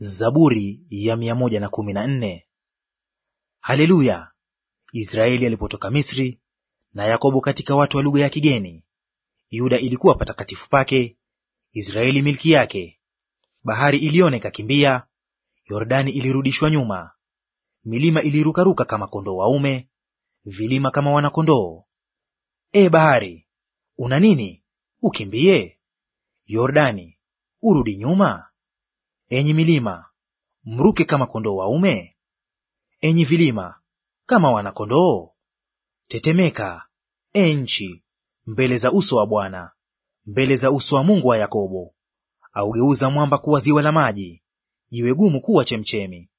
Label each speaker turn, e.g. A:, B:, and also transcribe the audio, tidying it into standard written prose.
A: Zaburi ya 114. Haleluya! Israeli alipotoka Misri, na Yakobo katika watu wa lugha ya kigeni. Yuda ilikuwa patakatifu pake, Israeli milki yake. Bahari iliona ikakimbia, Yordani ilirudishwa nyuma. Milima ilirukaruka kama kondoo waume, vilima kama wanakondoo. E bahari, una nini ukimbie? Yordani, urudi nyuma? Enyi milima, mruke kama kondoo waume? Enyi vilima, kama wanakondoo? Tetemeka, e nchi, mbele za uso wa Bwana, mbele za uso wa Mungu wa Yakobo. Augeuza mwamba kuwa ziwa la maji, jiwe gumu kuwa chemchemi.